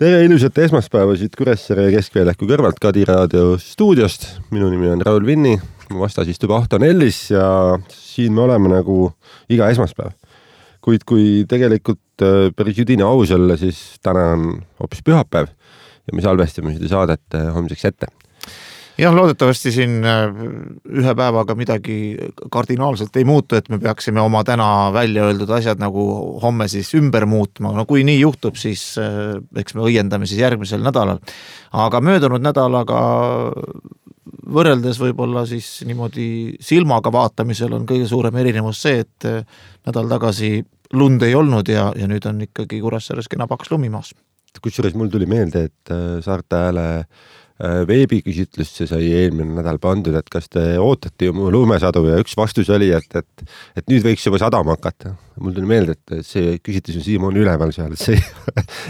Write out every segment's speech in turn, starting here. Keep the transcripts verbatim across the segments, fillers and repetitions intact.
Tere ilusat esmaspäeva siit Kuressaare Keskväljaku kõrvalt Kadi raadio stuudiost. Minu nimi on Raul Vinni, vastas istub Ahto Nellis ja siin me oleme nagu iga esmaspäev. Kuid kui tegelikult päris jüdine aus olla, siis täna on hoopis pühapäev ja me salvestame seda saadet homseks ette. Jah, loodetavasti siin ühe päevaga midagi kardinaalselt ei muutu, et me peaksime oma täna välja öeldud asjad nagu homme siis ümber muutma. No kui nii juhtub, siis eks me õiendame siis järgmisel nädalal. Aga möödunud nädalaga võrreldes võib-olla siis niimoodi silmaga vaatamisel on kõige suurem erinevus see, et nädal tagasi lund ei olnud ja, ja nüüd on ikkagi Kuressaares kena paks lumimaas. Kusjuures mul tuli meelde, et Saarte Hääle veebiküsitlust see sai eelmine nädal pandud, et kas te ootate ju mu lumesadu ja üks vastus oli, et, et, et nüüd võiks juba sadama hakata. Mul tuli meelde, et see küsitlus on Siimon üleval seal, et see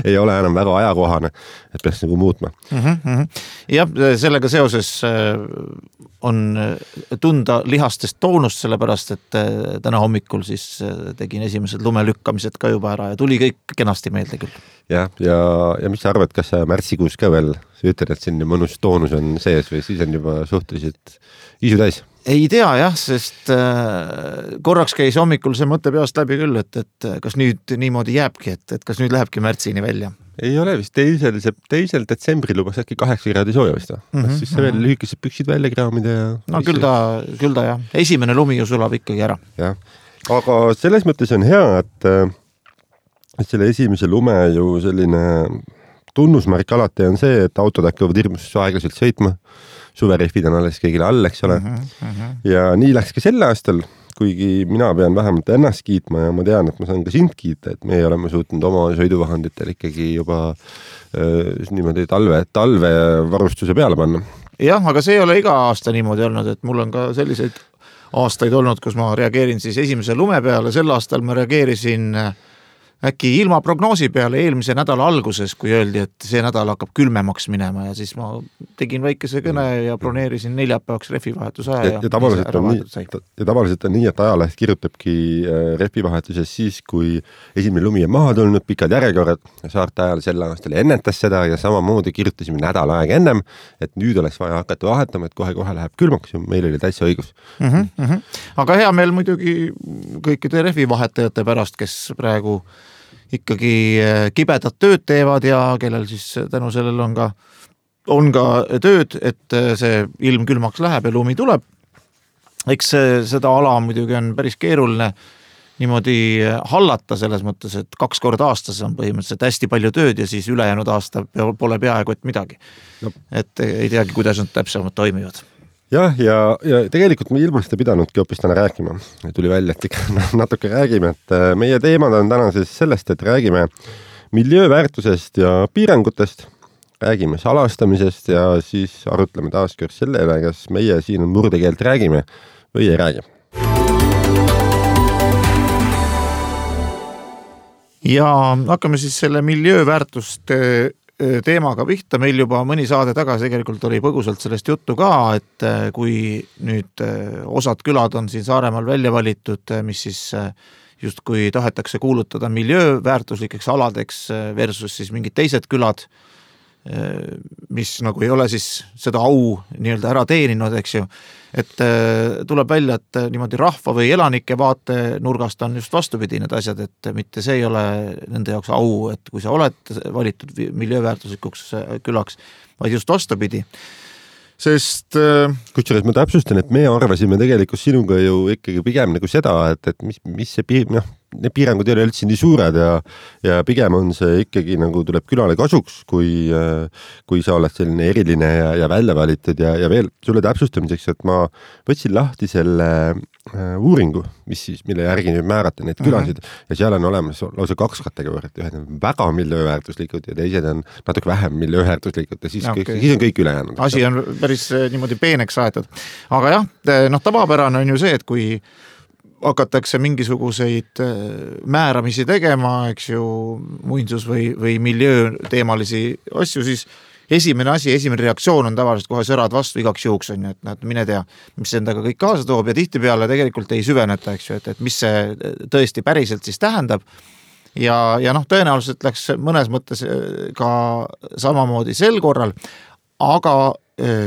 ei ole enam väga ajakohane, et peaks nagu muutma. Mm-hmm. Ja sellega seoses on tunda lihastest toonust, sellepärast, et täna hommikul siis tegin esimesed lumelükkamised ka juba ära ja tuli kõik kenasti meelde küll. Ja, ja, ja mis sa arvad, kas sa märtsikuus ka veel sa ütled, et siin mõnus toonus on sees või siis on juba suhteliselt isu täis? Ei tea jah, sest korraks käis hommikul see mõte peast läbi küll, et, et kas nüüd niimoodi jääbki, et, et kas nüüd lähebki märtsini välja? Ei ole vist teisel, teisel detsembri lubas äkki kaheksa kraadi sooja vist. Mm-hmm. Siis sa veel lühikesed püksid välja kraamida ja... No küll ta, küll ta jah. Esimene lumi ju sulab ikkagi ära. Ja. Aga selles mõttes on hea, et, et selle esimese lume ju selline tunnusmärk alati on see, et autod hakkavad hirmus aeglaselt sõitma. Suverehvid on alles kõigile all, eks ole. Mm-hmm, mm-hmm. Ja nii läks ka selle aastal, kuigi mina pean vähemalt ennast kiitma ja ma tean, et ma saan ka sind kiita, et me oleme suutnud oma sõiduvahenditel ikkagi juba äh, niimoodi talve, talve varustuse peale panna. Jah, aga see ei ole iga aasta niimoodi olnud, et mul on ka selliseid aastaid olnud, kus ma reageerin siis esimese lume peale. Sel aastal ma reageerisin äkki ilma prognoosi peale eelmise nädala alguses, kui öeldi, et see nädal hakkab külmemaks minema ja siis ma tegin väikese kõne ja broneerisin neljapäevaks rehvivahetuse aja. Ja, ja, tavaliselt on nii, ja tavaliselt on nii, et ajaleht kirjutabki rehvivahetuses siis, kui esimene lumi on maha tulnud, pikad järjekorrad. Saarte Ajal sel aastal ennetas seda ja samamoodi kirjutasime nädal aega ennem, et nüüd oleks vaja hakata vahetama, et kohe-kohe läheb külmaks ja meil oli täitsa õigus. Mm-hmm, mm-hmm. Aga hea meil muidugi kõikide rehvivahetajate pärast, kes praegu ikkagi kibedat tööd teevad ja kellel siis tänu sellel on ka, on ka tööd, et see ilm külmaks läheb ja lumi tuleb. Eks seda ala muidugi on päris keeruline niimoodi hallata selles mõttes, et kaks korda aastas on põhimõtteliselt hästi palju tööd ja siis ülejäänud aasta pole peaaegu et midagi. No. Et ei teagi, kuidas nad täpsemalt toimivad. Jah, ja, ja tegelikult me ilmast ei pidanudki hoopis täna rääkima. Tuli välja, et ikka natuke räägime, et meie teemad on täna siis sellest, et räägime miljööväärtusest ja piirangutest, räägime salastamisest ja siis arutleme taas kord sellele, kas meie siin murdekeelt räägime või ei räägi. Ja hakkame siis selle miljööväärtust teemaga pihta. Meil juba mõni saade tagasi tegelikult oli põgusalt sellest juttu ka, et kui nüüd osad külad on siin Saaremaal välja valitud, mis siis just kui tahetakse kuulutada miljööväärtuslikeks aladeks versus siis mingid teised külad, mis nagu ei ole siis seda au nii-öelda ära teeninud, eks ju. Et tuleb välja, et niimoodi rahva või elanike vaate nurgast on just vastupidi need asjad, et mitte see ei ole nende jaoks au, et kui sa oled valitud miljööväärtuslikuks külaks, vaid just vastupidi. Sest... Kusjuures ma täpsustan, et me arvasime tegelikult sinuga ju ikkagi pigem nagu seda, et, et mis, mis see piir... No, need piirangud ei ole üldse nii suured ja, ja pigem on see ikkagi nagu tuleb külale kasuks, kui, kui sa oled selline eriline ja, ja välja valitud ja, ja veel sulle täpsustamiseks, et ma võtsin lahti selle uuringu, mis siis, mille järgi nüüd määrata neid külasid mm-hmm. ja seal on olemas lausa kaks kategooriat, ühed on väga miljööväärtuslikud ja teised on natuke vähem miljööväärtuslikud ja siis, okay. kõik, siis on kõik ülejäänud. Asi on päris niimoodi peeneks aetud. Aga jah, noh, tavapärane on ju see, et kui hakatakse mingisuguseid määramisi tegema, eks ju, muinsus või, või miljöö teemalisi asju, siis esimene asi, esimene reaktsioon on tavaliselt kohe sõrad vastu igaks juhuks on ju, et näed, mine tea, mis endaga kõik kaasa toob ja tihtipeale tegelikult ei süveneta, eks ju, et, et mis see tõesti päriselt siis tähendab ja, ja noh, tõenäoliselt läks mõnes mõttes ka samamoodi sel korral, aga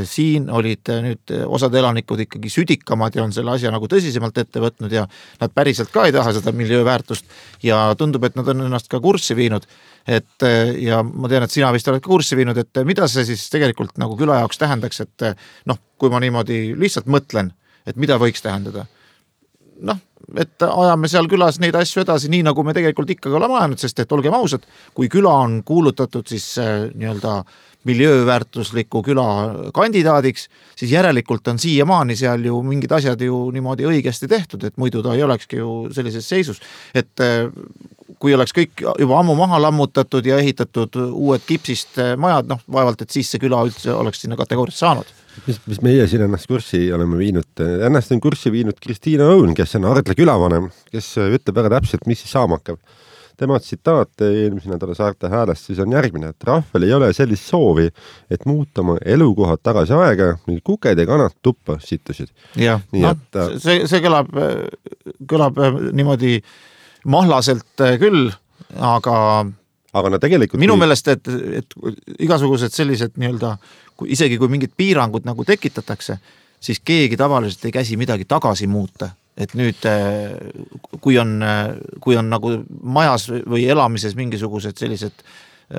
siin olid nüüd osad elanikud ikkagi südikamad ja on selle asja nagu tõsisemalt ette võtnud ja nad päriselt ka ei taha seda miljööväärtust ja tundub, et nad on ennast ka kurssi viinud. Et ja ma tean, et sina vist oled ka kurssi viinud, et mida see siis tegelikult nagu küla jaoks tähendaks, et noh, kui ma niimoodi lihtsalt mõtlen, et mida võiks tähendada. Noh, et ajame seal külas neid asju edasi, nii nagu me tegelikult ikkagi oleme ajanud, sest et olgem ausad, kui küla on kuulutatud siis nii-öelda miljööväärtusliku küla kandidaadiks, siis järelikult on siiamaani seal ju mingid asjad ju niimoodi õigesti tehtud, et muidu ta ei olekski ju sellises seisus. Et kui oleks kõik juba ammu maha lammutatud ja ehitatud uued kipsist majad, noh vaevalt, et siis see küla üldse oleks sinna kategoorias saanud. Mis, mis meie siin ennast kurssi oleme viinud, ennast on kurssi viinud Kristiina Õun, kes on Ardla külavanem, kes ütleb väga täpselt, mis siis saama hakkab. Tema tsitaat eelmise nädala Saarte Häälest siis on järgmine, et rahval ei ole sellist soovi, et muuta oma elukohad tagasi aega, mingi kuked ja kanad tuppa sittusid. Jah, no, et... see, see kõlab, kõlab niimoodi mahlaselt küll, aga, aga no tegelikult minu meelest, et, et igasugused sellised nii-öelda, kui, isegi kui mingid piirangud nagu tekitatakse, siis keegi tavaliselt ei käsi midagi tagasi muuta. Et nüüd, kui on, kui on nagu majas või elamises mingisugused sellised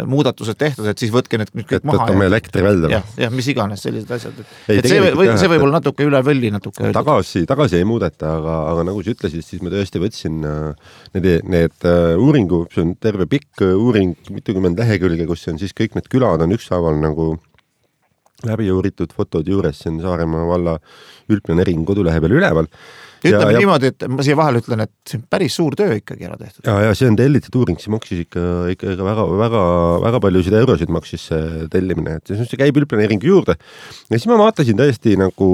muudatused tehtud, et siis võtke need kõik et maha. Et võtame elektri välja. Ja, ja mis iganes sellised asjad. Et, ei, et see, või, see võib olla natuke üle võlli natuke. Tagasi, tagasi ei muudeta, aga, aga nagu sa ütlesid, siis ma tõesti võtsin need, need uuringu, see on terve pikk uuring, mitukümmend lehekülge, kus on siis kõik need külad on ükshaaval nagu läbi uuritud fotod juures, see on Saaremaa valla üldplaneering kodulehe peal üleval. Ütleme ja, niimoodi, et ma siia vahel ütlen, et see on päris suur töö ikkagi ära tehtud. Ja, ja see on tellitud uuring, see maksis ikka, ikka väga, väga, väga paljusid eurosid maksis see tellimine, et see käib üldplaneeringu juurde. Ja siis ma vaatasin tõesti nagu,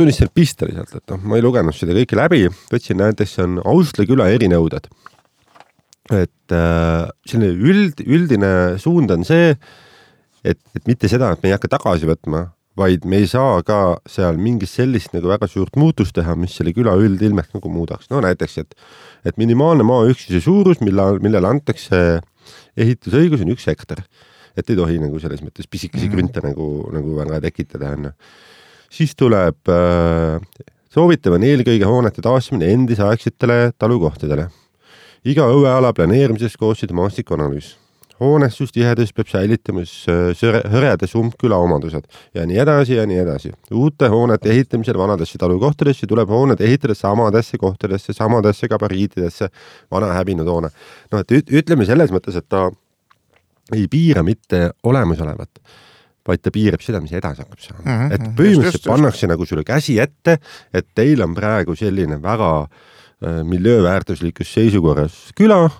tunnistan pista lihtsalt, et no, ma ei lugenud seda kõike läbi, võtsin näiteks, see on Austla küla erinõuded. Et äh, selline üld, üldine suund on see, et, et mitte seda, et me ei hakka tagasi võtma, vaid me ei saa ka seal mingit sellist nagu väga suurt muutust teha, mis selle küla üldilmest nagu muudaks. No näiteks, et, et minimaalne maaüksuse suurus, mille, millele antakse ehitusõigus on üks hektar. Et ei tohi nagu selles mõttes pisikesi mm-hmm. krünte nagu, nagu väga tekitada. On. Siis tuleb äh, soovitavan eelkõige hoonete taastamine endisaegsetele talukohtadele. Iga õueala planeerimises koostada maastikuanalüüs. Hoonestus, tihedus peab säilitamas hõredes umbküla omadused ja nii edasi ja nii edasi. Uute hoonete ehitamisel vanadesse talukohtadesse tuleb hooned ehitada samadesse kohtadesse, samadesse gabariitidesse, vana häbinud hoone. No, et ütleme selles mõttes, et ta ei piira mitte olemasolevat, vaid ta piirab seda, mis edasi hakkab saama. Mm-hmm. Et põhimõtteliselt pannakse nagu sulle käsi ette, et teil on praegu selline väga äh, miljööväärtuslikus seisukorras küla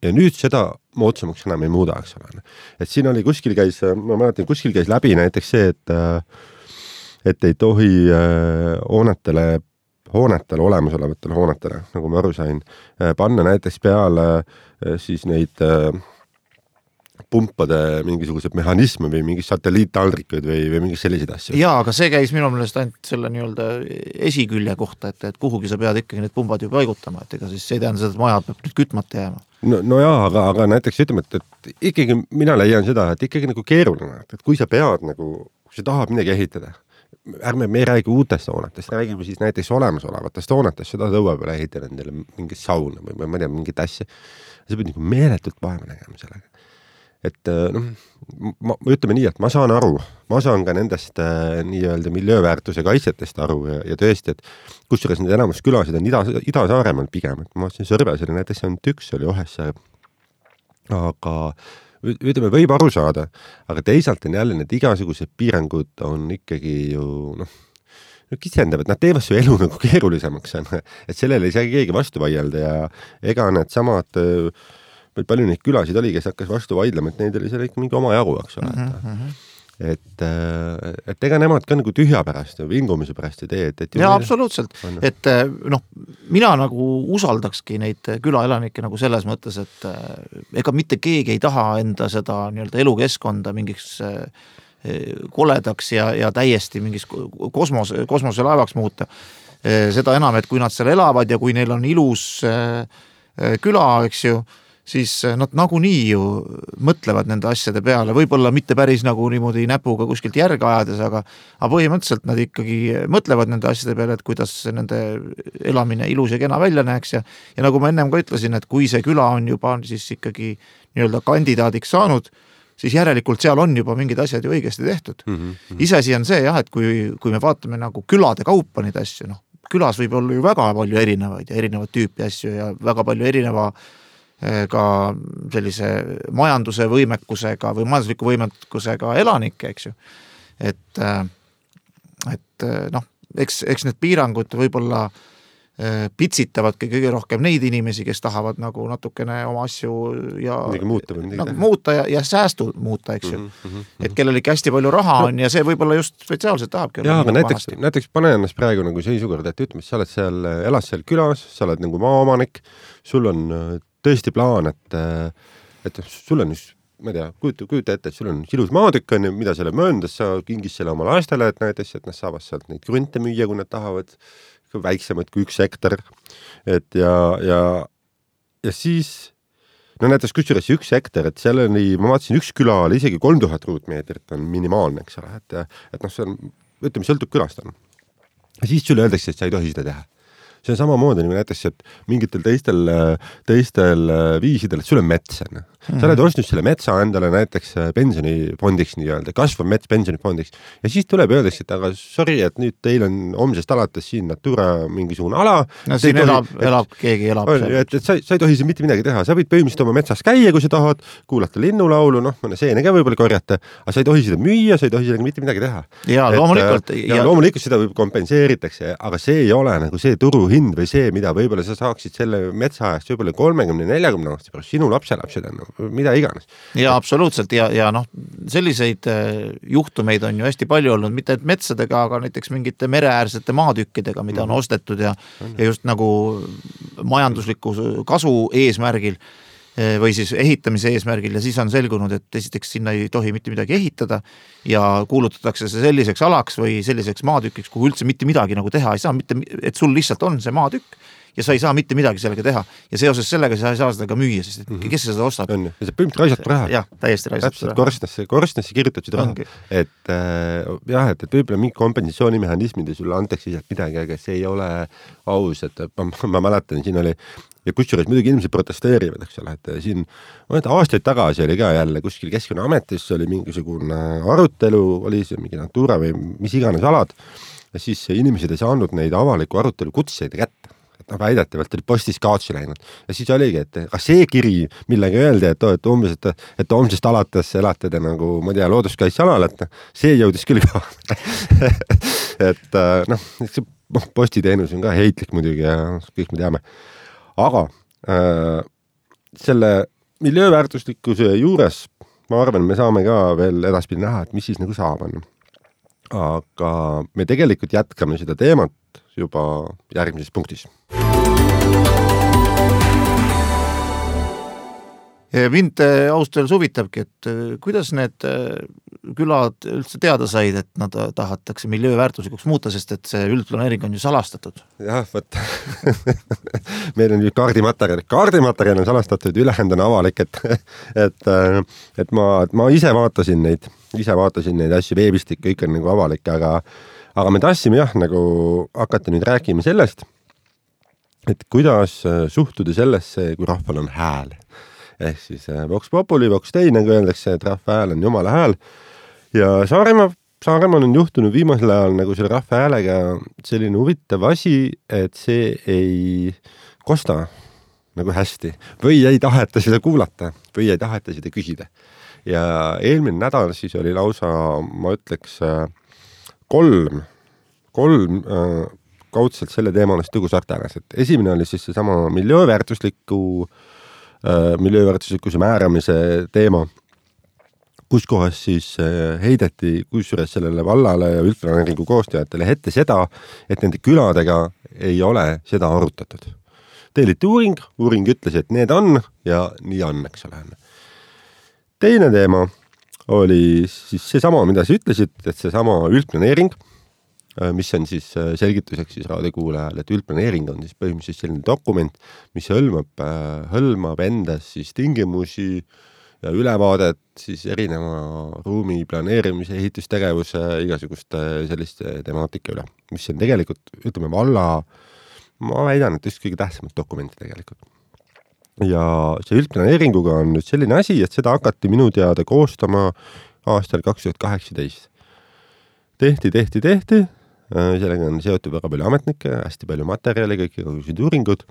ja nüüd seda moodsamaks enam ei muuda, eks ole. Et siin oli kuskil käis, ma mäletan, kuskil käis läbi näiteks see, et, et ei tohi hoonetele, hoonetele, olemasolevatele hoonetele, nagu ma aru sain, panna näiteks peale siis neid pumpade mingisugused mehhanisme või mingi satelliittaldrikuid või, või mingi selliseid asju. Jaa, aga see käis minu meelest ainult selle nii-öelda esikülje kohta, et, et kuhugi sa pead ikkagi need pumbad ju paigutama, et ega siis see ei tähenda seda, et maja peab nüüd kütmata jääma. No, no jaa, aga, aga näiteks ütleme, et, et ikkagi mina leian seda, et ikkagi nagu keeruline, et kui sa pead nagu, kui sa tahad midagi ehitada, ärme me ei räägi uutest hoonetest, räägime siis näiteks olemasolevatest hoonetest, seda tõue peale ehitada endale mingit sauna või ma ei tea, mingit asja. Sa pead nagu meeletult vaeva nägema sellega. Et noh, ma, ütleme nii, et ma saan aru, ma saan ka nendest äh, nii-öelda miljööväärtuse kaitsetest aru ja, ja tõesti, et kusjuures need enamus külasid on Ida, Ida-Saaremaal pigem, et ma vaatasin Sõrbes oli näiteks ainult üks, oli Ohessaar, aga ütleme, võib aru saada, aga teisalt on jälle need igasugused piirangud on ikkagi ju noh, kitsendavad, nad teevad su elu nagu keerulisemaks, et sellele ei saa keegi vastu vaielda ja ega need samad palju neid külasid oli, kes hakkas vastu vaidlema, et neid oli seal ikka mingi oma jagu, eks ole. Mm-hmm. Et, et ega nemad ka nagu tühja pärast ja vingumise pärast ei tee. Et, et ja absoluutselt, on... et noh, mina nagu usaldakski neid külaelanikke nagu selles mõttes, et ega mitte keegi ei taha enda seda nii-öelda elukeskkonda mingiks koledaks ja, ja täiesti mingis kosmos, kosmoselaevaks muuta. Seda enam, et kui nad seal elavad ja kui neil on ilus küla, eks ju, siis nad nagunii ju mõtlevad nende asjade peale, võib-olla mitte päris nagu niimoodi näpuga kuskilt järge ajades, aga, aga põhimõtteliselt nad ikkagi mõtlevad nende asjade peale, et kuidas nende elamine ilus ja kena välja näeks ja, ja nagu ma ennem ka ütlesin, et kui see küla on juba siis ikkagi nii-öelda kandidaadiks saanud, siis järelikult seal on juba mingid asjad ju õigesti tehtud. Mm -hmm. Iseasi on see jah, et kui, kui me vaatame nagu külade kaupa neid asju, noh, külas võib olla ju väga palju erinevaid ja erinevat tüüpi asju ja väga palju erineva ka sellise majanduse võimekusega või majandusliku võimekusega elanikke, eks ju. Et, et noh, eks, eks need piirangud võib-olla pitsitavadki kõige rohkem neid inimesi, kes tahavad nagu natukene oma asju ja muuta, nagu muuta ja, ja säästu muuta, eks ju. Mm -hmm. Et kellel ikka hästi palju raha on no. ja see võib-olla just spetsiaalselt tahabki. Jah, aga näiteks, näiteks pane ennast praegu nagu seisukord, et ütleme, sa oled seal, elad seal külas, sa oled nagu maaomanik, sul on tõesti plaan, et, et sul on just, ma ei tea, kujuta, kujuta ette, et sul on ilus maatükk, on, mida selle mööndas, sa kingis selle oma lastele, et näiteks, et nad saavad sealt neid krunte müüa, kui nad tahavad, väiksemad kui üks hektar. Et ja, ja, ja siis, no näiteks kusjuures üks hektar, et seal oli, ma vaatasin, üks küla oli isegi kolm tuhat ruutmeetrit on minimaalne, eks ole, et, et noh, see on, ütleme, sõltub külast on. Ja siis sulle öeldakse, et sa ei tohi seda teha. See on samamoodi nagu näiteks, et mingitel teistel, teistel viisidel, et sul on mets. Mm -hmm. Sa oled ostnud selle metsa endale näiteks pensionifondiks nii-öelda, kasvav mets pensionifondiks. Ja siis tuleb öeldakse, et aga sorry, et nüüd teil on homsest alates siin Natura mingisugune ala. No siin tohi, elab, et, elab, keegi elab. On, et, et sa, sa ei tohi siin mitte midagi teha. Sa võid põhimõtteliselt oma metsas käia, kui sa tahad, kuulata linnulaulu, noh, mõne seene ka võib-olla korjata, aga sa ei tohi seda müüa, sa ei tohi sellega mitte midagi teha. Ja, loomulikult. Ja, ja loomulikult seda võib kompenseeritakse, aga see ei ole nagu see turuhind või see, mida võib-olla sa saaksid selle metsaajast võib-olla kolmekümne neljakümne aasta pärast, sinu lapselapsed on, mida iganes. Ja absoluutselt ja, ja noh, selliseid juhtumeid on ju hästi palju olnud, mitte et metsadega, aga näiteks mingite mereäärsete maatükkidega, mida on ostetud ja, ja just nagu majandusliku kasu eesmärgil või siis ehitamise eesmärgil ja siis on selgunud, et esiteks sinna ei tohi mitte midagi ehitada ja kuulutatakse see selliseks alaks või selliseks maatükiks, kuhu üldse mitte midagi nagu teha ei saa, mitte, et sul lihtsalt on see maatükk ja sa ei saa mitte midagi sellega teha ja seoses sellega sa ei saa seda ka müüa, sest et kes seda ostab? On, ja see põhimõtteliselt raisab raha. Jah, täiesti raisab raha. Korstnasse, korstnasse kirjutab seda raha. Et äh, jah, et, et võib-olla mingi kompensatsioonimehhanismid ja sulle antakse sealt midagi, aga see ei ole aus, et ma, ma mäletan, siin oli ja kusjuures muidugi inimesed protesteerivad, eks ole, et siin aastaid tagasi oli ka jälle kuskil Keskkonnaametis oli mingisugune arutelu, oli see mingi Natura või mis iganes alad ja siis inimesed ei saanud neid avaliku arutelu kutseid kätte. Et noh, väidetavalt oli postis kaotsi läinud ja siis oligi, et ka see kiri, millega öeldi, et, et umbes, et, et homsest alates elate te nagu, ma tea, looduskaitsealal, et see jõudis küll ka. et noh, see postiteenus on ka heitlik muidugi ja kõik me teame. Aga äh, selle miljööväärtuslikkuse juures ma arvan, me saame ka veel edaspidi näha, et mis siis nagu saab on. Aga me tegelikult jätkame seda teemat juba järgmises punktis. Mind austajal suvitabki, et kuidas need külad üldse teada said, et nad tahatakse miljööväärtuslikuks muuta, sest et see üldplaneering on ju salastatud. Jah, võt. Meil on ju kaardimaterjal. Kaardimaterjal on salastatud, ülejäänud on avalik, et, et, et ma, ma ise vaatasin neid, ise vaatasin neid asju veebist, kõik on nagu avalik, aga, aga me tahtsime jah, nagu hakata nüüd rääkima sellest, et kuidas suhtuda sellesse, kui rahval on hääl. Ehk siis Vox Populi, Vox Dei, nagu öeldakse, et rahva hääl on jumala hääl. Ja Saaremaa, Saaremaal on juhtunud viimasel ajal nagu selle rahva häälega selline huvitav asi, et see ei kosta nagu hästi. Või ei taheta seda kuulata, või ei taheta seda küsida. Ja eelmine nädal siis oli lausa, ma ütleks, kolm, kolm äh, kaudselt selle teemalist tõgusartanas. Et esimene oli siis see sama miljööväärtusliku miljööväärtuslikkuse määramise teema, kus kohas siis heideti kusjuures sellele vallale ja üldplaneeringu koostajatele ette seda, et nende küladega ei ole seda arutatud. Teeliti uuring, uuring ütles, et need on ja nii on, eks ole. Teine teema oli siis see sama, mida sa ütlesid, et see sama üldplaneering, mis on siis selgituseks siis raadiokuulajal, et üldplaneering on siis põhimõtteliselt selline dokument, mis hõlmab, hõlmab endas siis tingimusi ja ülevaadet siis erineva ruumi planeerimise, ehitustegevuse, igasuguste selliste temaatika üle, mis on tegelikult, ütleme, valla, ma väidan, et just kõige tähtsamad dokumenti tegelikult. Ja see üldplaneeringuga on nüüd selline asi, et seda hakati minu teada koostama aastal kaks tuhat kaheksateist. Tehti, tehti, tehti, sellega on seotud väga palju ametnikke, hästi palju materjali, kõik kõigused uuringud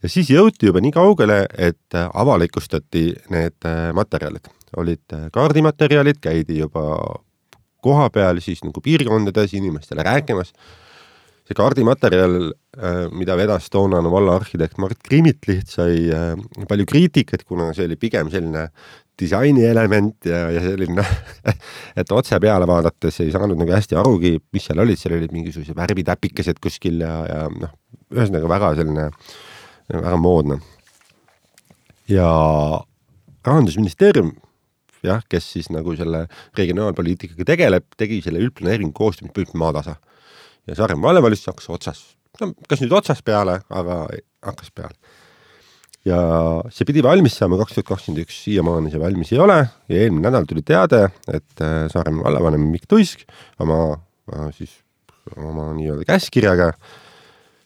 ja siis jõuti juba nii kaugele, et avalikustati need materjalid. Olid kaardimaterjalid, käidi juba koha peal siis nagu piirkondades inimestele rääkimas. See kaardimaterjal, mida vedas toonane valla arhitekt Mart Krimitliht, sai palju kriitikat, kuna see oli pigem selline disaini element ja, ja selline, et otse peale vaadates ei saanud nagu hästi arugi, mis seal olid, seal olid mingisuguse värvitäpikesed kuskil ja, ja noh, ühesõnaga väga selline, väga moodne. Ja Rahandusministeerium, jah, kes siis nagu selle regionaalpoliitikaga tegeleb, tegi selle üldplaneeringu koostamist põhimõtteliselt maatasa. Ja Saaremaa vallavalitsus hakkas otsas, no, kas nüüd otsas peale, aga hakkas peale. Ja see pidi valmis saama kaks tuhat kakskümmend üks, siiamaani see valmis ei ole ja eelmine nädal tuli teade, et Saaremaa vallavanem Mikk Tuisk oma, siis, oma nii-öelda käskirjaga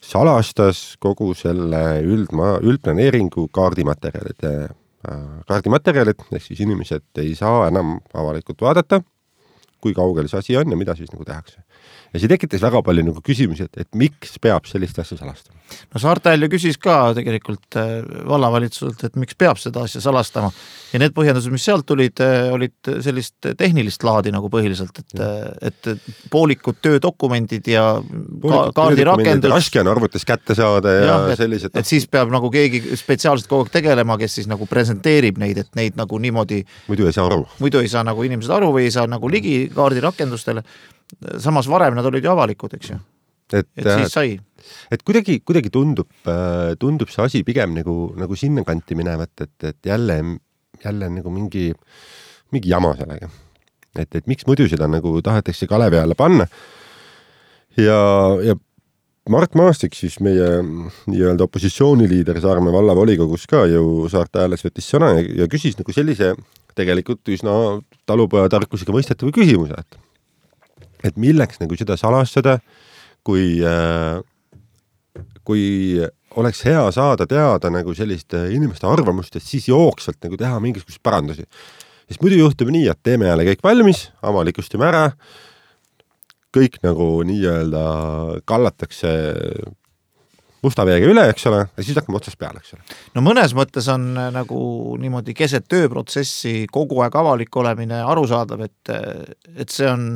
salastas kogu selle üldma, üldplaneeringu kaardimaterjalid. Kaardimaterjalid, ehk siis inimesed ei saa enam avalikult vaadata, kui kaugel see asi on ja mida siis nagu tehakse. Ja see tekitas väga palju nagu küsimusi, et, et miks peab sellist asja salastama? No Saartel ju küsis ka tegelikult vallavalitsuselt, et miks peab seda asja salastama. Ja need põhjendused, mis sealt tulid, olid sellist tehnilist laadi nagu põhiliselt, et, et poolikud töödokumendid ja kaardirakendus. Raske on arvutis kätte saada ja, ja et, sellised. Et siis peab nagu keegi spetsiaalselt kogu aeg tegelema, kes siis nagu presenteerib neid, et neid nagu niimoodi. Muidu ei saa aru. Muidu ei saa nagu inimesed aru või ei saa nagu ligi kaardirakendustele. Samas varem nad olid ju avalikud, eks ju. Et, et siis sai. Et kuidagi, kuidagi tundub, tundub see asi pigem nagu, nagu sinna kanti minevat, et, et jälle, jälle nagu mingi, mingi jama sellega. Et, et miks muidu seda nagu tahetakse kalevi alla panna. Ja, ja Mart Maastik, siis meie nii-öelda opositsiooniliider Saaremaa vallavolikogus ka ju Saarte Hääles võttis sõna ja, ja küsis nagu sellise tegelikult üsna talupojatarkusega mõistetava küsimuse, et et milleks nagu seda salastada, kui, kui oleks hea saada teada nagu sellist inimeste arvamust, et siis jooksvalt nagu teha mingisugust parandusi. Sest muidu juhtub nii, et teeme jälle kõik valmis, avalikustame ära, kõik nagu nii-öelda kallatakse musta veega üle, eks ole, ja siis hakkame otsast peale, eks ole. No mõnes mõttes on nagu niimoodi keset tööprotsessi kogu aeg avalik olemine arusaadav, et, et see on,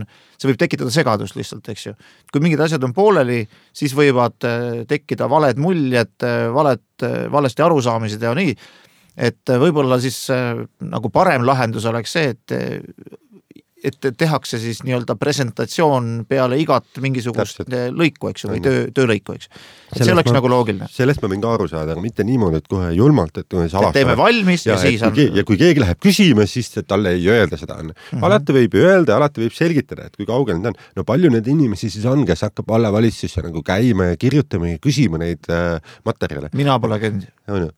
see võib tekitada segadust lihtsalt, eks ju. Kui mingid asjad on pooleli, siis võivad tekkida valed muljed, valed, valesti arusaamised ja nii, et võib-olla siis nagu parem lahendus oleks see, et et tehakse siis nii-öelda presentatsioon peale igat mingisugust Täpselt. lõiku, eks ju, või töö, töölõiku, eks. Et see oleks ma, nagu loogiline. Sellest ma võin ka aru saada, aga mitte niimoodi, et kohe julmalt, et salastame. Teeme valmis ja, ja siis on. Ja kui keegi läheb küsima, siis talle ei öelda seda. On. Mm-hmm. Alati võib öelda, alati võib selgitada, et kui kaugel need on. No palju need inimesi siis on, kes hakkab vallavalitsusse nagu käima ja kirjutama ja küsima neid äh, materjale. Mina pole käinud.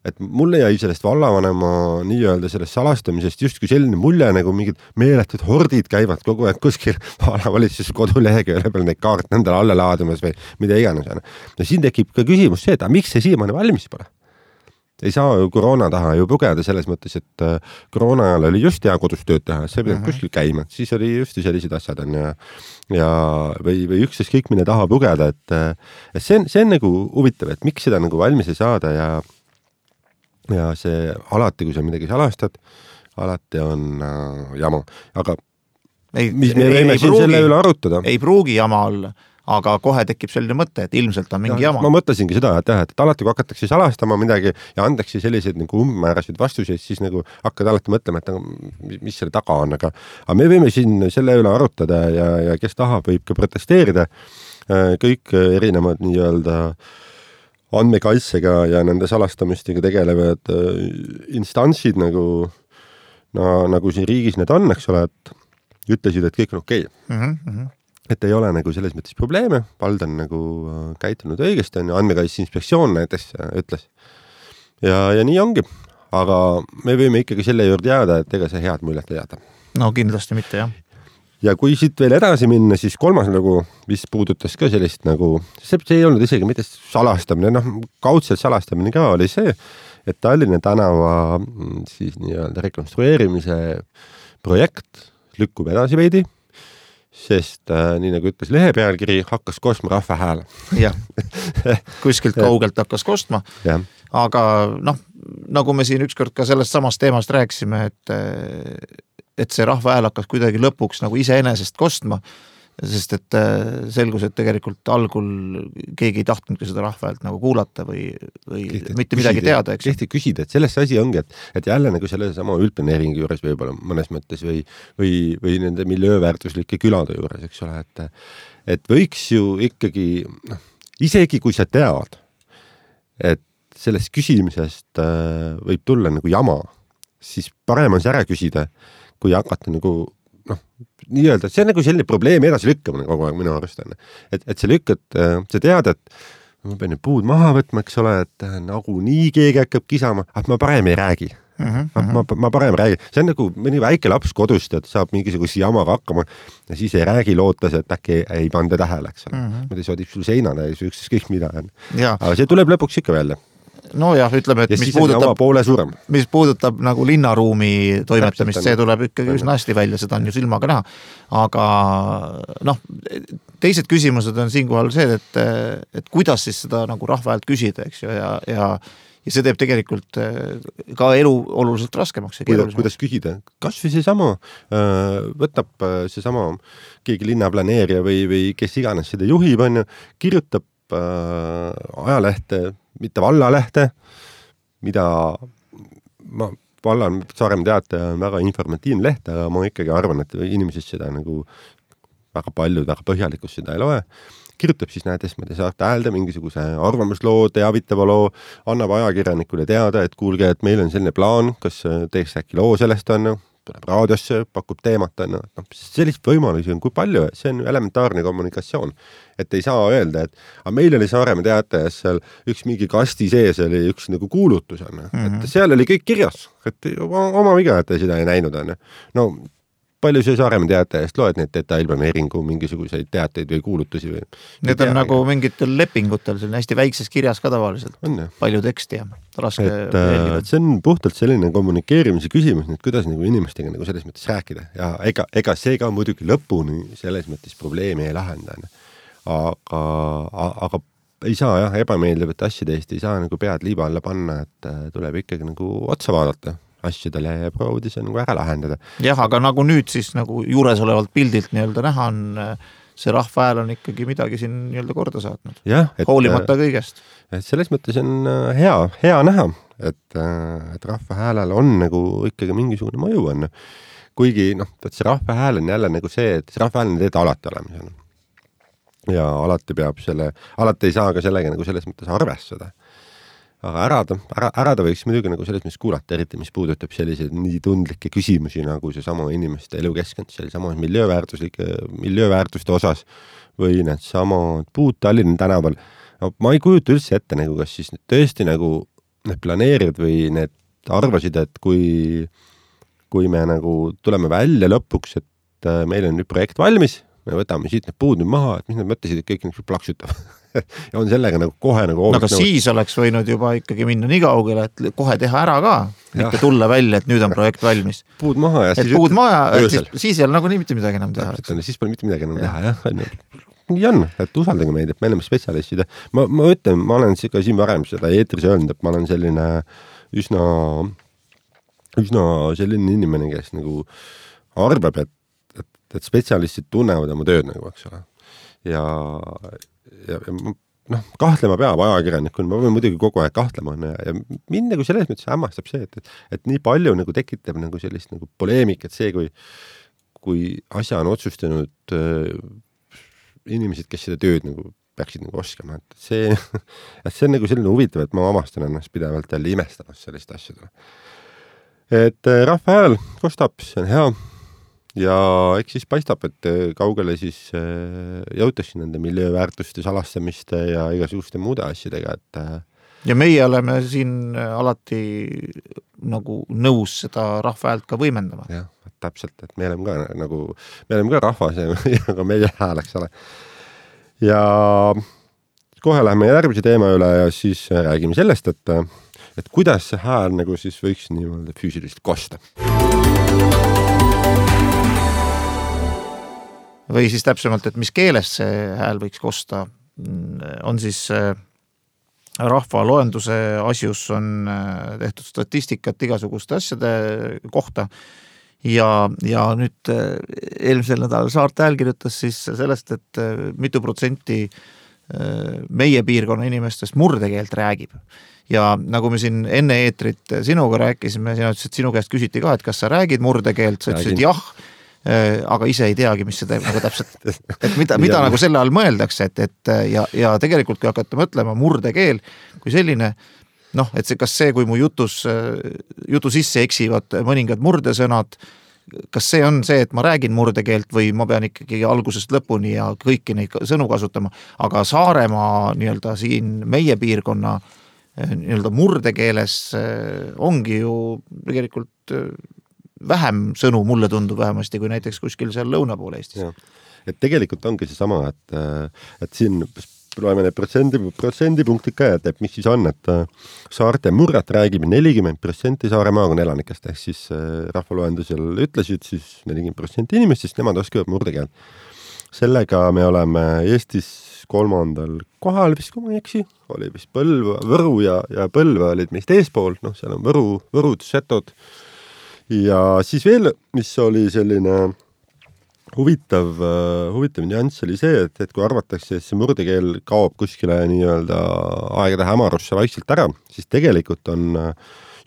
Et mulle jäi sellest vallavanema nii-öelda sellest salastamisest justkui selline mulje nagu mingid meeletud hordid käivad kogu aeg kuskil vallavalitsus kodulehega peal neid kaart nendele alla laadimas või mida iganes. No siin tekib ka küsimus see, et miks see siiamaani valmis pole? Ei saa ju koroona taha ju pugeda selles mõttes, et koroona ajal oli just hea kodus tööd teha, see pidanud uh-huh. kuskil käima, siis oli just sellised asjad on ja, ja või, või ükses kõik mine taha pugeda, et, et see, on, see on nagu huvitav, et miks seda nagu valmis ei saada ja ja see alati, kui sa midagi salastad, alati on äh, jama. Aga ei, mis me võime siin pruugi, selle üle arutada? Ei pruugi jama olla, aga kohe tekib selline mõte, et ilmselt on mingi ja, jama. Ma mõtlesingi seda, et, et, et alati, kui hakatakse salastama midagi ja antakse selliseid nagu umbmäärasid vastuseid, siis nagu hakkad alati mõtlema, et mis selle taga on. Aga, aga me võime siin selle üle arutada ja, ja kes tahab, võib ka protesteerida. Kõik erinevad nii-öelda andmekaitsega ja nende salastamistega tegelevad instantsid nagu, no, nagu siin riigis need on, eks ole, et ütlesid, et kõik on okei. Okay. Mm-hmm. et ei ole nagu selles mõttes probleeme, vald on nagu käitunud õigesti, on ju, Andmekaitse Inspektsioon näiteks ütles. Ja, ja nii ongi, aga me võime ikkagi selle juurde jääda, et ega see head muljet ei jääda. No kindlasti mitte, jah. Ja kui siit veel edasi minna, siis kolmas nagu, mis puudutas ka sellist nagu, see ei olnud isegi mitte salastamine, noh, kaudselt salastamine ka oli see, et Tallinna tänava siis nii-öelda rekonstrueerimise projekt lükkub edasi veidi, sest äh, nii nagu ütles lehe pealkiri, hakkas kostma rahva hääl. Jah, kuskilt kaugelt hakkas kostma, ja. Aga noh, nagu me siin ükskord ka sellest samast teemast rääkisime, et, et see rahva hääl hakkas kuidagi lõpuks nagu iseenesest kostma, sest et selgus, et tegelikult algul keegi ei tahtnud seda rahva häält nagu kuulata või, või Kihti, mitte midagi küsida, teada, eks. Kihti küsida, et sellest asi ongi, et, et jälle nagu selle sama üldplaneeringi juures võib-olla mõnes mõttes või, või, või nende miljööväärtuslike külade juures, eks ole, et, et võiks ju ikkagi, noh, isegi kui sa tead, et sellest küsimisest äh, võib tulla nagu jama, siis parem on see ära küsida, kui hakata nagu noh, nii-öelda, see on nagu selline probleemi edasi lükkamine kogu aeg minu arust on. Et, et sa lükkad, sa tead, et ma pean need puud maha võtma, eks ole, et nagu nii keegi hakkab kisama, et ma parem ei räägi. Mm -hmm. ma, ma parem räägi. See on nagu mõni väike laps kodust, et saab mingisuguse jamaga hakkama ja siis ei räägi lootes, et äkki ei, ei panda tähele, eks ole. Mm -hmm. Mõte soodib sul seinale ja üksis kõik mida on. Aga see tuleb lõpuks ikka välja. No jah, ütleme, et ja mis puudutab, poole suurem. mis puudutab nagu linnaruumi toimetamist, see tuleb ikkagi üsna hästi välja, seda on ju silmaga näha. Aga noh, teised küsimused on siinkohal see, et, et kuidas siis seda nagu rahva häält küsida, eks ju, ja, ja, ja see teeb tegelikult ka elu oluliselt raskemaks. Kuidas, kuidas küsida? Kas või see sama, võtab see sama keegi linnaplaneerija või, või kes iganes seda juhib, on ju, kirjutab äh, ajalehte, mitte vallalehte, mida ma, vallan Saaremaa Teataja on väga informatiivne leht, aga ma ikkagi arvan, et inimesed seda nagu väga palju, väga põhjalikult seda ei loe. Kirjutab siis näiteks, ma te saate häälda mingisuguse arvamusloo, teavitava loo, annab ajakirjanikule teada, et kuulge, et meil on selline plaan, kas teeks äkki loo sellest on, tuleb raadiosse, pakub teemat, on, no, sellist võimalusi on kui palju, see on elementaarne kommunikatsioon. Et ei saa öelda, et aga meil oli Saaremaa Teatajas seal üks mingi kasti sees oli üks nagu kuulutus, on, mm-hmm. et seal oli kõik kirjas, et oma viga, et seda ei näinud, on. No palju see Saaremaa Teatajast loed neid detailplaneeringu mingisuguseid teateid või kuulutusi või? Need on tea, nagu mingitel lepingutel, see on hästi väikses kirjas ka tavaliselt. On, palju teksti ja raske et, et see on puhtalt selline kommunikeerimise küsimus, et kuidas nagu inimestega nagu selles mõttes rääkida ja ega, ega see ka muidugi lõpuni selles mõttes probleemi ei lahenda. Aga, aga ei saa jah, ebameeldivat asjade eest ei saa nagu pead liiba alla panna, et tuleb ikkagi nagu otsa vaadata asjadele ja proovida see nagu ära lahendada. Jah, aga nagu nüüd siis nagu juures olevalt pildilt nii-öelda näha on, see rahva hääl on ikkagi midagi siin nii-öelda korda saatnud. Jah, et, hoolimata kõigest. Et selles mõttes on hea, hea näha, et, et rahva häälel on nagu ikkagi mingisugune mõju on. Kuigi noh, et see rahva hääl on jälle nagu see, et see rahva hääl on teed alati olemas. Ja alati peab selle, alati ei saa ka sellega nagu selles mõttes arvestada. Aga ära ta, ära, ära ta võiks muidugi nagu selles mõttes kuulata, eriti mis puudutab selliseid nii tundlikke küsimusi nagu see sama inimeste elukeskkond, see sama miljööväärtuslike, miljööväärtuste osas või need sama puud Tallinna tänaval. No, ma ei kujuta üldse ette, nagu, kas siis need tõesti nagu need planeerid või need arvasid, et kui, kui me nagu tuleme välja lõpuks, et meil on nüüd projekt valmis, me võtame siit need puud nüüd maha, et mis nad mõtlesid, et kõik nagu plaksutab. Ja on sellega nagu kohe nagu... Aga nagu... siis oleks võinud juba ikkagi minna nii kaugele, et kohe teha ära ka, mitte tulla välja, et nüüd on projekt valmis. Puud maha ja et siis... Puud maha, et siis, siis ei ole nagu nii mitte midagi enam teha. Siis pole mitte midagi enam ja. teha, jah. Nii on, et usaldage meid, et me oleme spetsialistid. Ma, ma ütlen, ma olen ka siin varem seda eetris öelnud, et ma olen selline üsna, üsna selline inimene, kes nagu arvab, et, et, et spetsialistid tunnevad oma tööd nagu, eks ole. Ja, ja, ja noh, kahtlema peab ajakirjanikul, ma võin muidugi kogu aeg kahtlema ja, ja mind nagu selles mõttes hämmastab see, et, et, et nii palju nagu tekitab nagu sellist nagu poleemik, et see, kui, kui asja on otsustanud äh, inimesed, kes seda tööd nagu peaksid nagu oskama, et see, et see on nagu selline huvitav, et ma avastan ennast pidevalt jälle imestamas sellist asjadele. Et äh, rahva hääl kostab, see on hea ja eks siis paistab, et kaugele siis jõutakse nende miljööväärtuste salastamiste ja igasuguste muude asjadega, et ja meie oleme siin alati nagu nõus seda rahva häält ka võimendama. Jah, täpselt, et me oleme ka nagu, me oleme ka rahvas ja ka meie hääl, eks ole. Ja kohe läheme järgmise teema üle ja siis räägime sellest, et, et kuidas see hääl nagu siis võiks niimoodi füüsiliselt kosta. Või siis täpsemalt, et mis keeles see hääl võiks kosta, on siis rahva loenduse asjus on tehtud statistikat igasuguste asjade kohta ja, ja nüüd eelmisel nädalal Saarte Hääl kirjutas siis sellest, et mitu protsenti meie piirkonna inimestest murdekeelt räägib. Ja nagu me siin enne eetrit sinuga rääkisime, sina ütlesid, et sinu käest küsiti ka, et kas sa räägid murdekeelt, sa ütlesid jah, aga ise ei teagi, mis seda nagu täpselt, et mida, mida nagu selle all mõeldakse, et, et ja, ja tegelikult kui hakata mõtlema murdekeel kui selline, noh, et see, kas see, kui mu jutus, jutu sisse eksivad mõningad murdesõnad, kas see on see, et ma räägin murdekeelt või ma pean ikkagi algusest lõpuni ja kõiki neid sõnu kasutama, aga Saaremaa nii-öelda siin meie piirkonna nii-öelda murdekeeles ongi ju tegelikult vähem sõnu, mulle tundub vähemasti, kui näiteks kuskil seal lõuna poole Eestis. Ja. Et tegelikult ongi see sama, et, et siin loeme need protsendi, protsendipunktid ka, et, et mis siis on, et Saarte murret räägib nelikümmend protsenti Saare maakonna elanikest, ehk siis rahvaloendusel ütlesid siis nelikümmend protsenti inimestest, nemad oskavad murdekeel. Sellega me oleme Eestis kolmandal kohal, vist kui ma ei eksi, oli vist Põlva, Võru ja, ja Põlva olid meist eespool, noh, seal on Võru, Võrud, Setod. Ja siis veel, mis oli selline huvitav, huvitav nüanss oli see, et, et kui arvatakse, et see murdekeel kaob kuskile nii-öelda aegade hämarusse vaikselt ära, siis tegelikult on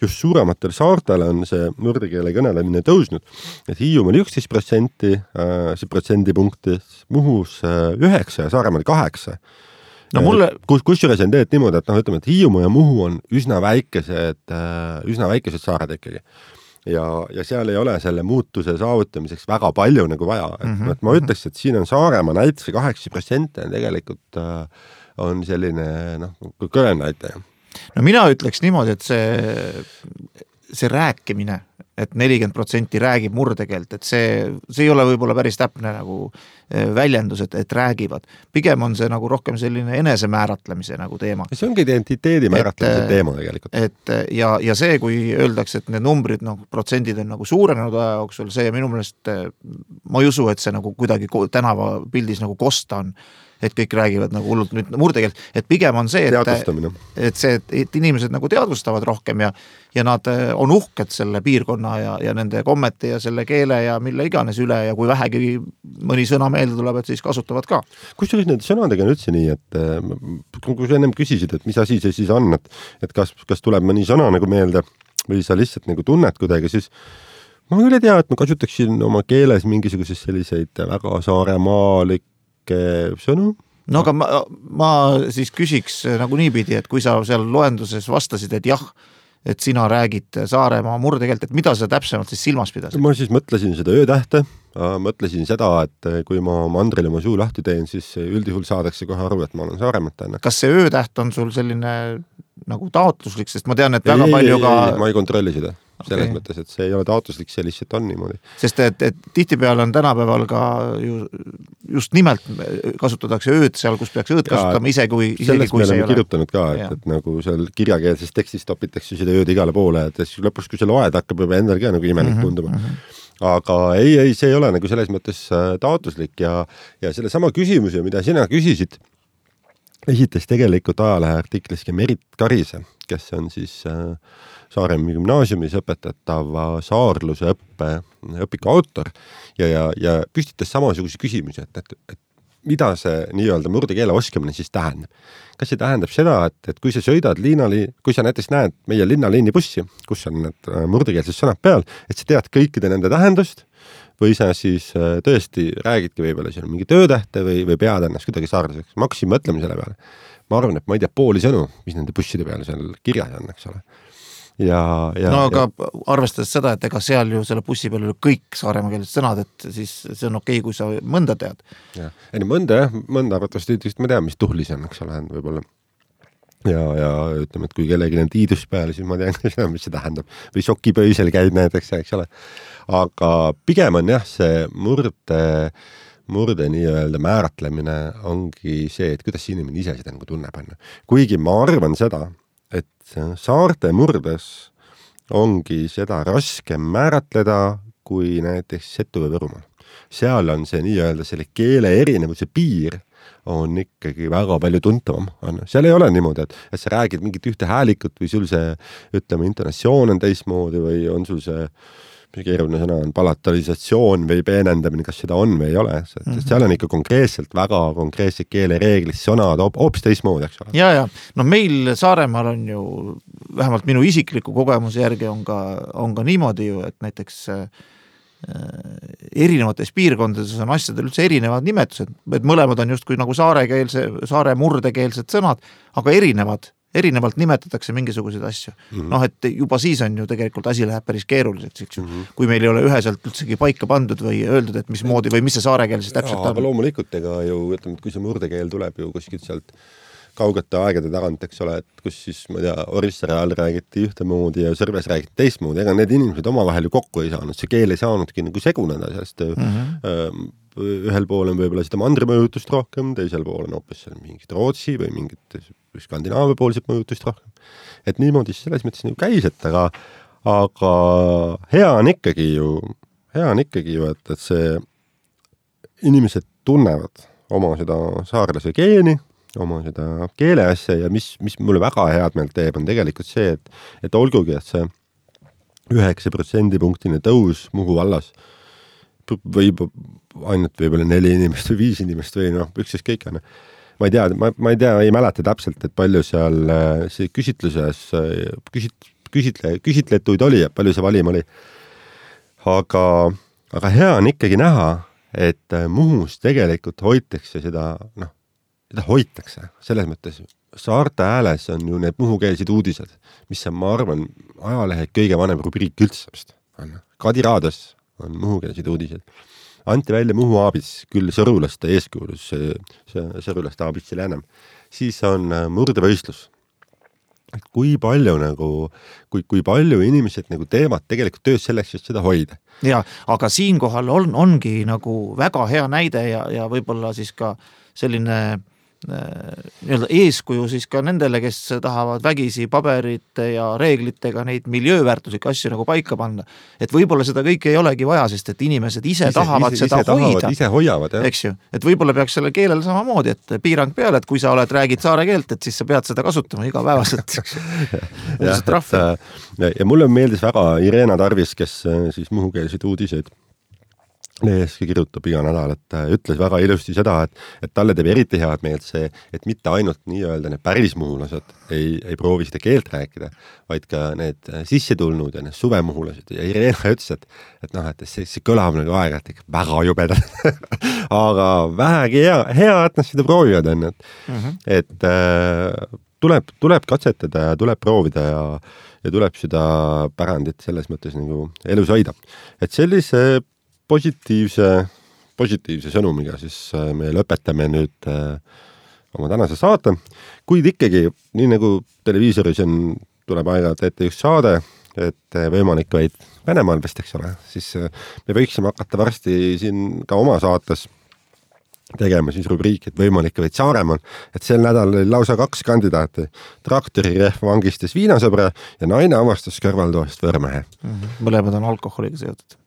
just suurematel saartel on see murdekeele kõnelemine tõusnud. Et Hiiumaal üksteist protsenti, see protsendipunkti, Muhus üheksa ja Saaremaal kaheksa. No mulle... Kus, kusjuures on teed niimoodi, et noh, ütleme, et Hiiumaa ja Muhu on üsna väikesed, üsna väikesed saared ikkagi. Ja, ja seal ei ole selle muutuse saavutamiseks väga palju nagu vaja. Et, mm-hmm. et ma ütleks, et siin on Saaremaa näiteks kaheksa protsenti tegelikult äh, on selline noh, kõrge näitaja. No mina ütleks niimoodi, et see, see rääkimine, et nelikümmend protsenti räägib murdekeelt, et see, see ei ole võib-olla päris täpne nagu väljendus, et, et räägivad. Pigem on see nagu rohkem selline enese määratlemise nagu teema. See ongi identiteedi määratlemise et, teema tegelikult. Et, ja, ja see, kui öeldakse, et need numbrid, noh, protsendid on nagu suurenenud aja jooksul, see minu meelest, ma ei usu, et see nagu kuidagi tänava pildis nagu kosta on, et kõik räägivad nagu hullult nüüd murdekeelt, et pigem on see, et, et see, et inimesed nagu teadvustavad rohkem ja, ja nad on uhked selle piirkonna ja, ja nende kommete ja selle keele ja mille iganes üle ja kui vähegi mõni sõna meelde tuleb, et siis kasutavad ka. Kusjuures nende sõnadega on üldse nii, et kui sa ennem küsisid, et mis asi see siis on, et, et kas, kas tuleb mõni sõna nagu meelde või sa lihtsalt nagu tunned kuidagi, siis ma küll ei tea, et ma kasutaksin oma keeles mingisuguses selliseid väga saaremaalik sõnu. No aga ma, ma siis küsiks nagu niipidi, et kui sa seal loenduses vastasid, et jah, et sina räägid Saaremaa murdekeelt, et mida sa täpsemalt siis silmas pidasid? Ma siis mõtlesin seda öötähte, mõtlesin seda, et kui ma mandrile oma suu lahti teen, siis üldjuhul saadakse kohe aru, et ma olen Saaremaalt. Kas see öötäht on sul selline nagu taotluslik, sest ma tean, et väga ei, palju ei, ka... Ei, ma ei kontrolli seda. Selles okay. mõttes, et see ei ole taotluslik, see lihtsalt on niimoodi. Sest et, et tihtipeale on tänapäeval ka ju, just nimelt kasutatakse ööd seal, kus peaks ööd kasutama, ise kui, isegi kui see ei ole. Kirjutanud ka, et, et nagu seal kirjakeelses tekstis topitakse seda ööd igale poole, et lõpus, kui see loed, hakkab juba endal ka nagu imelik tunduma. Mm -hmm. Aga ei, ei, see ei ole nagu selles mõttes taotluslik ja, ja selle sama küsimuse, mida sina küsisid, esitas tegelikult ajalehe artikliski Merit Karise, kes on siis äh, Saaremaa gümnaasiumis õpetatava saarluse õppe, õpiku autor ja, ja, ja püstitas samasuguse küsimusi, et, et, et mida see nii-öelda murdekeele oskamine siis tähendab. Kas see tähendab seda, et, et kui sa sõidad liinali, kui sa näiteks näed meie linnaliini bussi, kus on need murdekeelsed sõnad peal, et sa tead kõikide nende tähendust või sa siis tõesti räägidki võib-olla seal mingi töötähte või, või pead ennast kuidagi saarlaseks. Ma hakkasin mõtlema selle peale. Ma arvan, et ma ei tea pooli sõnu, mis nende busside peale seal kirjas on, eks ole. ja, ja no aga ja... arvestades seda, et ega seal ju selle bussi peal oli kõik saaremakeelsed sõnad, et siis see on okei, kui sa mõnda tead. Ja, ei, mõnda jah, mõnda arvatavasti ütlest, ma tean, mis tuhlis on, eks ole, võib-olla. Ja, ja ütleme, et kui kellegi on tiidus peale, siis ma tean, mis see tähendab. Või šokipöisel käid näiteks, eks ole. Aga pigem on jah, see murde, murde nii-öelda määratlemine ongi see, et kuidas inimene ise seda nagu tunneb. Kuigi ma arvan seda, et saarte murdes ongi seda raskem määratleda kui näiteks Setu või Võrumaal. Seal on see nii-öelda selle keele erinevuse piir on ikkagi väga palju tuntavam. Seal ei ole niimoodi, et, et sa räägid mingit ühte häälikut või sul see, ütleme, intonatsioon on teismoodi või on sul see keeruline sõna on palatalisatsioon või peenendamine, kas seda on või ei ole. Mm-hmm. Seal on ikka konkreetselt väga konkreetsed keelereeglid, sõnad hoopis teismoodi, eks ole. Ja, ja. No meil Saaremaal on ju, vähemalt minu isikliku kogemuse järgi on ka, on ka niimoodi ju, et näiteks äh, erinevates piirkondades on asjadel üldse erinevad nimetused, et mõlemad on justkui nagu saarekeelse, saare murdekeelsed sõnad, aga erinevad. Erinevalt nimetatakse mingisuguseid asju. Mm-hmm. Noh, et juba siis on ju tegelikult asi läheb päris keeruliseks, eks ju. Mm-hmm. Kui meil ei ole üheselt üldsegi paika pandud või öeldud, et mis moodi või mis see saarekeel siis täpselt on. Aga loomulikult, ega ju, ütleme, et kui see murdekeel tuleb ju kuskilt sealt kaugete aegade tagant, eks ole, et kus siis, ma tea, Orissaare all räägiti ühtemoodi ja Sõrves räägiti teistmoodi, ega need inimesed omavahel ju kokku ei saanud, see keel ei saanudki nagu seguneda, sest mm-hmm. äh, ühel pool on võib-olla seda mandrimõjutust rohkem, teisel pool on hoopis mingit Rootsi või mingit Skandinaavia poolset mõjutust rohkem. Et niimoodi selles mõttes nagu käis, et aga, aga hea on ikkagi ju, hea on ikkagi ju, et, et see inimesed tunnevad oma seda saarlase geeni, oma seda keeleasja ja mis, mis mulle väga head meelt teeb, on tegelikult see, et, et olgugi, et see üheksa protsendipunktine tõus Muhu vallas võib ainult võib-olla neli inimest või viis inimest või noh, üksis kõik on. Ma ei tea, ma, ma ei tea, ei mäleta täpselt, et palju seal see küsitluses küsit, küsitle, küsitletuid oli ja palju see valim oli. Aga, aga hea on ikkagi näha, et Muhus tegelikult hoitakse seda, noh, seda hoitakse. Selles mõttes Saarte hääles on ju need muhukeelsed uudised, mis on, ma arvan, ajalehe kõige vanem rubriik üldse. Kadi Raadios on muhukeelsed uudised. Anti välja Muhu aabits, küll sõrulaste eeskujulus, see, see sõrulaste aabitsil enam. Siis on murdevõistlus. Et kui palju nagu, kui, kui palju inimesed nagu teevad tegelikult töös selleks, et seda hoida. Ja, aga siinkohal on, ongi nagu väga hea näide ja, ja võib-olla siis ka selline nii-öelda eeskuju siis ka nendele, kes tahavad vägisi paberite ja reeglitega neid miljööväärtuslikke asju nagu paika panna. Et võib-olla seda kõike ei olegi vaja, sest et inimesed ise, ise tahavad ise, seda ise hoida. Tahavad, ise hoiavad, jah. Eks ju, et võib-olla peaks selle keelel samamoodi, et piirang peale, et kui sa oled, räägid saare keelt, et siis sa pead seda kasutama igapäevaselt. ja, et, ja mulle meeldis väga Irena Tarvis, kes siis muhukeelsid uudiseid Leeski kirjutab iga nädal, et ütles väga ilusti seda, et, et talle teeb eriti head meelt see, et mitte ainult nii-öelda need päris muhulased ei, ei proovi seda keelt rääkida, vaid ka need sisse tulnud ja need suvemuhulased. Ja Irena ütles, et, et noh, et see, see kõlab nagu aega, et väga jubedad. Aga vähegi hea, hea, et nad seda proovivad on, et, mm-hmm. et äh, tuleb, tuleb katsetada ja tuleb proovida ja, ja tuleb seda pärandit selles mõttes nagu elus hoida. Et sellise positiivse, positiivse sõnumiga siis me lõpetame nüüd äh, oma tänase saate, kuid ikkagi, nii nagu televiisoris on, tuleb aega-ajalt ette just saade, et võimalik vaid Venemaal vist, eks ole, siis äh, me võiksime hakata varsti siin ka oma saates tegema siis rubriik, et võimalik vaid Saaremaal, et sel nädal oli lausa kaks kandidaati. Traktorirehv vangistas viinasõbra ja naine avastas kõrvaltoast võõrmehe. Mm-hmm. Mõlemad on alkoholiga seotud.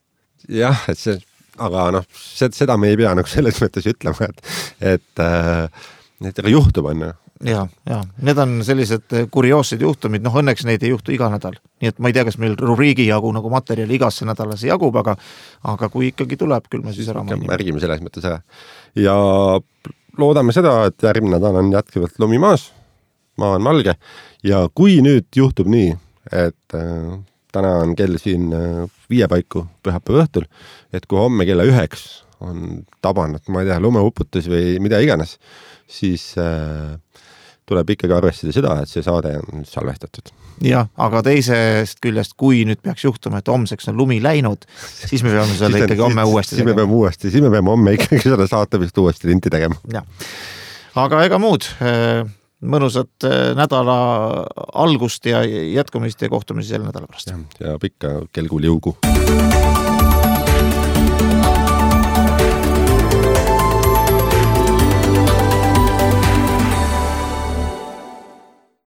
Jah, et see, aga noh, seda me ei pea nagu selles mõttes ütlema, et, et äh, need juhtub on. Ja, ja, need on sellised kurioossed juhtumid, noh õnneks neid ei juhtu iga nädal. Nii et ma ei tea, kas meil rubriigi jagu nagu materjali igasse nädalase jagub, aga, aga kui ikkagi tuleb, küll me siis ära mainime. Märgime selles mõttes ära. Ja loodame seda, et järgmine nädal on jätkuvalt lumi maas, maa on valge ja kui nüüd juhtub nii, et äh, täna on kell siin viie paiku pühapäeva õhtul, et kui homme kella üheks on tabanud, ma ei tea, lumeuputus või mida iganes, siis äh, tuleb ikkagi arvestada seda, et see saade on salvestatud. jah, aga teisest küljest, kui nüüd peaks juhtuma, et homseks on lumi läinud, siis me peame selle ikkagi homme uuesti tegema. Siis me peame uuesti, siis me peame homme ikkagi seda saatamist uuesti linti tegema. Ja. Aga ega muud, mõnusat nädala algust ja jätkumist ja kohtumisi selle nädala pärast. Ja, ja pikka kelgul jõugu.